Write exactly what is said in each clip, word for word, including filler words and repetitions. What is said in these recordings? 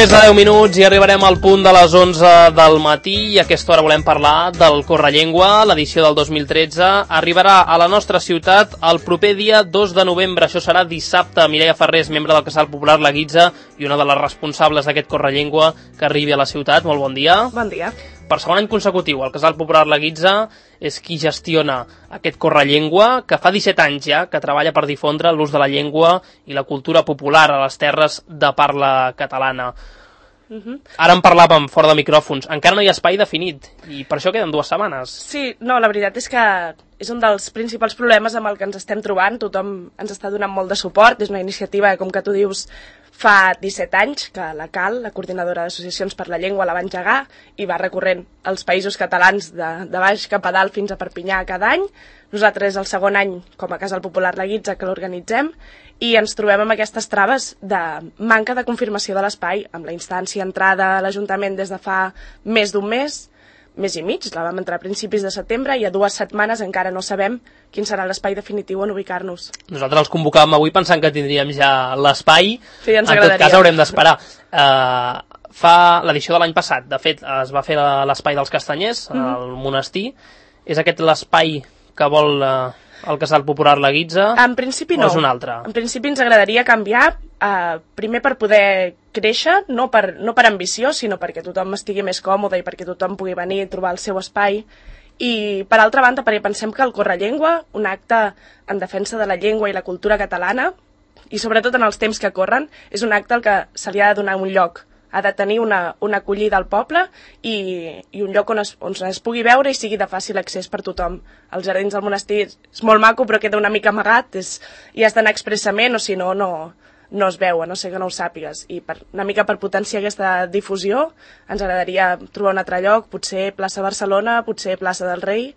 més de deu minuts i arribarem al punt de les onze del matí i a aquesta hora volem parlar del Correllengua. L'edició del dos mil tretze arribarà a la nostra ciutat el proper dia dos de novembre. Això serà dissabte. Mireia Ferrés, membre del Casal Popular La Guitza i una de les responsables d'aquest Correllengua que arribi a la ciutat. Molt bon dia. Bon dia. Per segon any consecutiu, el Casal Popular La Guitza és qui gestiona aquest Correllengua, que fa disset anys ja que treballa per difondre l'ús de la llengua i la cultura popular a les terres de parla catalana. Uh-huh. Ara en parlàvem fora de micròfons. Encara no hi ha espai definit i per això queden dues setmanes. Sí, no, la veritat és que és un dels principals problemes amb el que ens estem trobant. Tothom ens està donant molt de suport. És una iniciativa, com que tu dius, fa disset anys que la C A L, la Coordinadora d'Associacions per la Llengua, la va engegar i va recorrent els països catalans de, de baix cap a dalt fins a Perpinyà cada any. Nosaltres és el segon any com a Casal Popular La Guitza que l'organitzem i ens trobem amb aquestes traves de manca de confirmació de l'espai, amb la instància entrada a l'Ajuntament des de fa més d'un mes, mes i mig, la vam entrar a principis de setembre i a dues setmanes encara no sabem quin serà l'espai definitiu on ubicar-nos. Nosaltres els convocàvem avui pensant que tindríem ja l'espai, sí, ens en tot cas haurem d'esperar. Uh, fa l'edició de l'any passat, de fet, es va fer l'espai dels Castanyers, mm-hmm. al monestir. És aquest l'espai que vol uh, el Casal Popular La Guitza? En principi no. O és un altre? En principi ens agradaria canviar, uh, primer per poder créixer, no per, no per ambició, sinó perquè tothom estigui més còmode i perquè tothom pugui venir i trobar el seu espai. I, per altra banda, perquè pensem que el Correllengua, un acte en defensa de la llengua i la cultura catalana, i sobretot en els temps que corren, és un acte al que se li ha de donar un lloc. Ha de tenir una, una acollida al poble i, i un lloc on es, on es pugui veure i sigui de fàcil accés per tothom. Els jardins del monestir és molt maco, però queda una mica amagat, és, i has d'anar expressament, o si no, no, no es veu, a no ser que no ho sàpigues. I per, una mica per potenciar aquesta difusió, ens agradaria trobar un altre lloc, potser plaça Barcelona, potser plaça del Rei.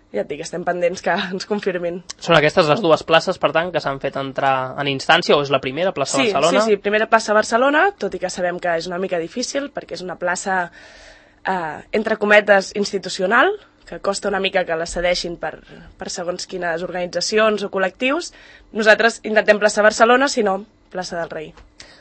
Ja et dic, estem pendents que ens confirmin. Són aquestes les dues places, per tant, que s'han fet entrar en instància, o és la primera, plaça sí, Barcelona? Sí, sí, primera plaça Barcelona, tot i que sabem que és una mica difícil, perquè és una plaça, eh, entre cometes, institucional, que costa una mica que la cedeixin per, per segons quines organitzacions o col·lectius. Nosaltres intentem plaça Barcelona, si no, plaça del Rei.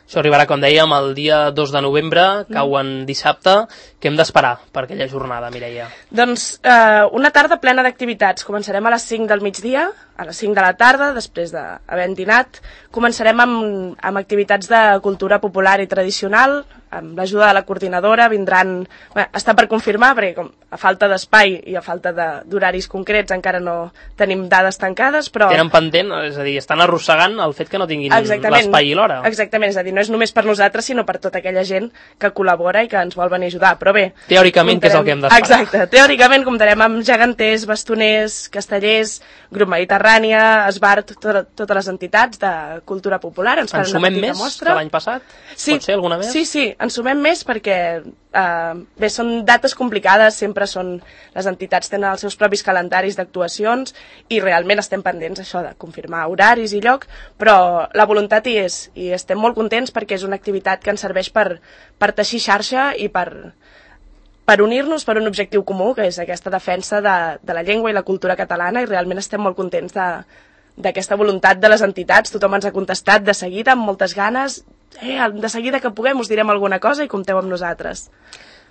Això arribarà, com dèiem, el dia dos de novembre, cau en dissabte. Què hem d'esperar per aquella jornada, Mireia? Doncs eh, una tarda plena d'activitats. Començarem a les cinc del migdia, a les cinc de la tarda, després d'haver dinat. Començarem amb, amb activitats de cultura popular i tradicional, amb l'ajuda de la coordinadora. Vindran, bé, està per confirmar, perquè com a falta d'espai i a falta d'horaris concrets encara no tenim dades tancades, però... Tenen pendent, és a dir, estan arrossegant el fet que no tinguin l'espai i l'hora. Exactament, és a dir, no és només per nosaltres, sinó per tota aquella gent que col·labora i que ens vol venir a ajudar. Però bé... Teòricament, comptarem... què és el que hem d'esperar? Exacte, teòricament comptarem amb geganters, bastoners, castellers, grup Mediterrània, Esbart, to totes les entitats de cultura popular. Ens, ens sumem més mostra. Que l'any passat? Sí, pot ser alguna més? Sí, sí, ens sumem més perquè eh, bé, són dates complicades, sempre són... Les entitats tenen els seus propis calendaris d'actuacions i realment estem pendents això de confirmar horaris i lloc, però la voluntat hi és i estem molt contents perquè és una activitat que ens serveix per, per teixir xarxa i per, per unir-nos per un objectiu comú, que és aquesta defensa de, de la llengua i la cultura catalana, i realment estem molt contents d'aquesta voluntat de les entitats. Tothom ens ha contestat de seguida, amb moltes ganes. Eh, de seguida que puguem us direm alguna cosa i compteu amb nosaltres.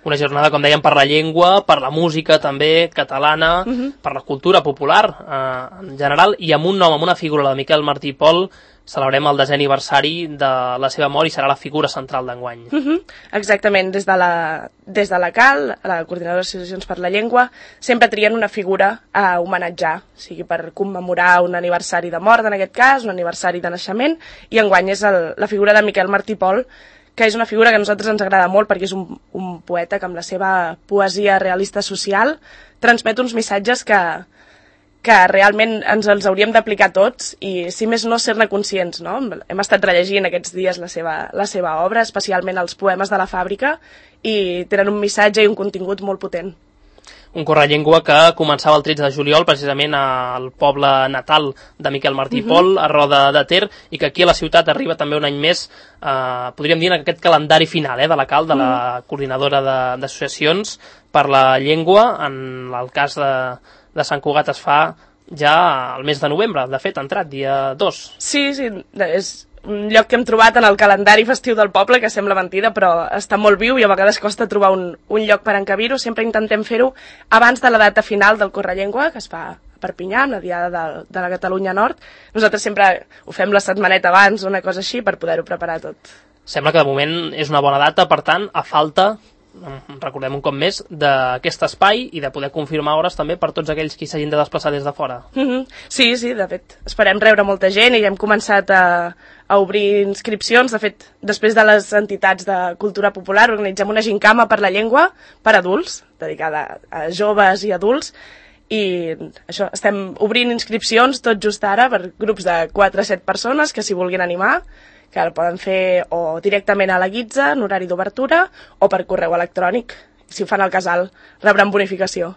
Una jornada, com dèiem, per la llengua, per la música també catalana, uh-huh. per la cultura popular eh, en general, i amb un nom, amb una figura, la de Miquel Martí i Pol, celebrem el desè aniversari de la seva mort i serà la figura central d'enguany. Uh-huh. Exactament, des de la, des de la C A L, la Coordinadora d'Associacions per la Llengua, sempre trien una figura a homenatjar, o sigui, per commemorar un aniversari de mort, en aquest cas, un aniversari de naixement, i enguany és el, la figura de Miquel Martí i Pol, que és una figura que a nosaltres ens agrada molt perquè és un, un poeta que amb la seva poesia realista social transmet uns missatges que, que realment ens els hauríem d'aplicar tots i, si més no, ser-ne conscients, no? Hem estat rellegint aquests dies la seva, la seva obra, especialment els poemes de la fàbrica, i tenen un missatge i un contingut molt potent. Un Correllengua que començava el tretze de juliol, precisament al poble natal de Miquel Martí i uh-huh. Pol, a Roda de Ter, i que aquí a la ciutat arriba també un any més, eh, podríem dir, en aquest calendari final eh, de la C A L, de la uh-huh. Coordinadora d'associacions per la llengua. En el cas de, de Sant Cugat es fa ja al mes de novembre, de fet, ha entrat, dia dos. Sí, sí, és un lloc que hem trobat en el calendari festiu del poble, que sembla mentida, però està molt viu i a vegades costa trobar un, un lloc per encabir-ho. Sempre intentem fer-ho abans de la data final del Correllengua, que es fa a Perpinyà, amb la Diada de, de la Catalunya Nord. Nosaltres sempre ho fem la setmaneta abans, una cosa així, per poder-ho preparar tot. Sembla que de moment és una bona data, per tant, a falta, recordem un cop més, d'aquest espai i de poder confirmar hores també per tots aquells que s'hagin de desplaçar des de fora. Mm-hmm. Sí, sí, de fet, esperem rebre molta gent i ja hem començat a, a obrir inscripcions. De fet, després de les entitats de cultura popular organitzem una gincama per la llengua per adults, dedicada a joves i adults, i això, estem obrint inscripcions tot just ara per grups de quatre a set persones que s'hi vulguin animar, que el poden fer o directament a la guitza, en horari d'obertura, o per correu electrònic. Si ho fan al casal, rebran bonificació.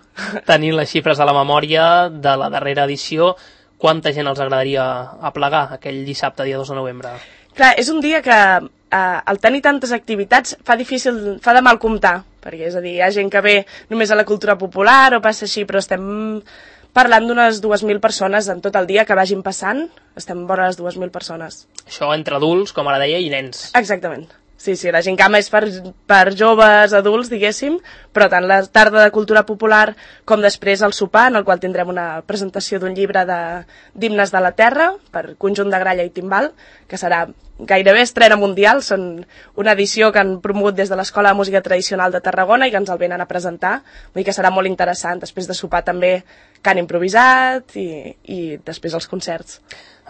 Tenint les xifres a la memòria de la darrera edició, quanta gent els agradaria aplegar aquell dissabte, dia dos de novembre? Clar, és un dia que eh, al tenir tantes activitats fa difícil, fa de mal comptar, perquè és a dir, hi ha gent que ve només a la cultura popular o passa així, però estem parlant d'unes dues mil persones en tot el dia que vagin passant, estem vora les dues mil persones. Això entre adults, com ara deia, i nens. Exactament. Sí, sí, la gincama és per, per joves, adults, diguéssim, però tant la tarda de cultura popular com després el sopar, en el qual tindrem una presentació d'un llibre d'himnes de, de la terra per conjunt de gralla i timbal, que serà gairebé estrena mundial. Són una edició que han promogut des de l'Escola de Música Tradicional de Tarragona i que ens el venen a presentar. Vull dir que serà molt interessant. Després de sopar també cant improvisat i, i després els concerts.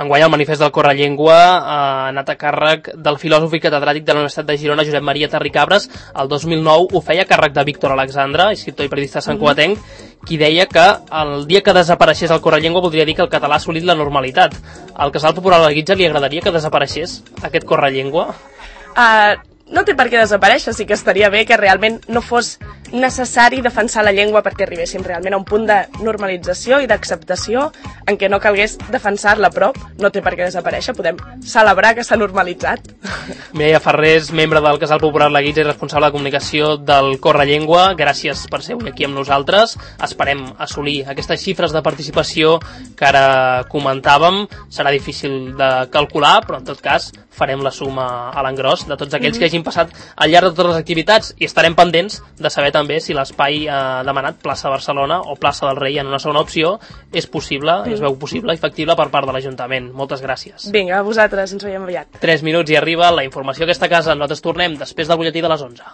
Enguany el manifest del Correllengua ha anat a càrrec del filòsof i catedràtic de la Universitat de Girona, Josep Maria Terricabres. El dos mil nou ho feia a càrrec de Víctor Alexandre, escriptor i periodista santcugatenc, qui deia que el dia que desapareixés el Correllengua voldria dir que el català ha assolit la normalitat. Al Casal Popular de la Guitza li agradaria que desapareixés aquest Correllengua? Uh, no té per què desaparèixer, sí que estaria bé que realment no fos necessari defensar la llengua perquè arribéssim realment a un punt de normalització i d'acceptació en què no calgués defensar-la, però no té per què desaparèixer, podem celebrar que s'ha normalitzat. Mireia Ferrés, membre del Casal Popular La Guitza i responsable de comunicació del Correllengua, gràcies per ser avui aquí amb nosaltres. Esperem assolir aquestes xifres de participació que ara comentàvem. Serà difícil de calcular, però en tot cas farem la suma a l'engròs de tots aquells mm-hmm. que hagin passat al llarg de totes les activitats i estarem pendents de saber també si l'espai ha demanat plaça Barcelona o plaça del Rei en una segona opció és possible, mm. es veu possible i factible per part de l'Ajuntament. Moltes gràcies. Vinga, a vosaltres, ens veiem aviat. Tres minuts i arriba la informació a aquesta casa. Nosaltres tornem després del butlletí de les onze.